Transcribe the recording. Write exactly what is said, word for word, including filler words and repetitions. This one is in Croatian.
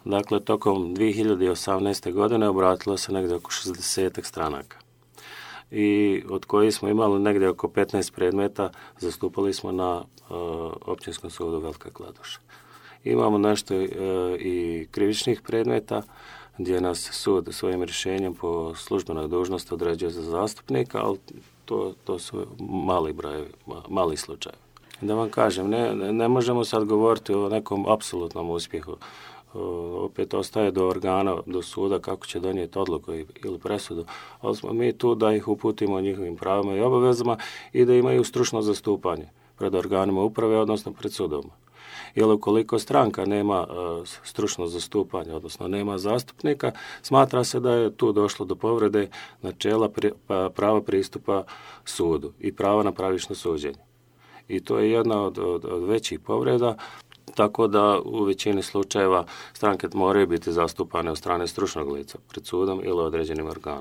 Dakle, tokom dvije hiljade osamnaeste. godine obratilo se negdje oko šezdeset stranaka. I od kojih smo imali negdje oko petnaest predmeta, zastupali smo na uh, Općinskom sudu Velika Kladuša. Imamo nešto uh, i krivičnih predmeta, gdje nas sud svojim rješenjem po službenoj dužnosti određuje za zastupnika, ali to, to su mali brojevi, mali slučaj. Da vam kažem, ne, ne možemo sad govoriti o nekom apsolutnom uspjehu. Opet ostaje do organa, do suda kako će donijeti odluku ili presudu, ali smo mi tu da ih uputimo o njihovim pravima i obavezama i da imaju stručno zastupanje pred organima uprave, odnosno pred sudom. Jer ukoliko stranka nema uh, stručno zastupanje, odnosno nema zastupnika, smatra se da je tu došlo do povrede načela pri, pa, prava pristupa sudu i prava na pravično suđenje. I to je jedna od, od, od većih povreda, tako da u većini slučajeva stranke moraju biti zastupane od strane stručnog lica pred sudom ili određenim organom.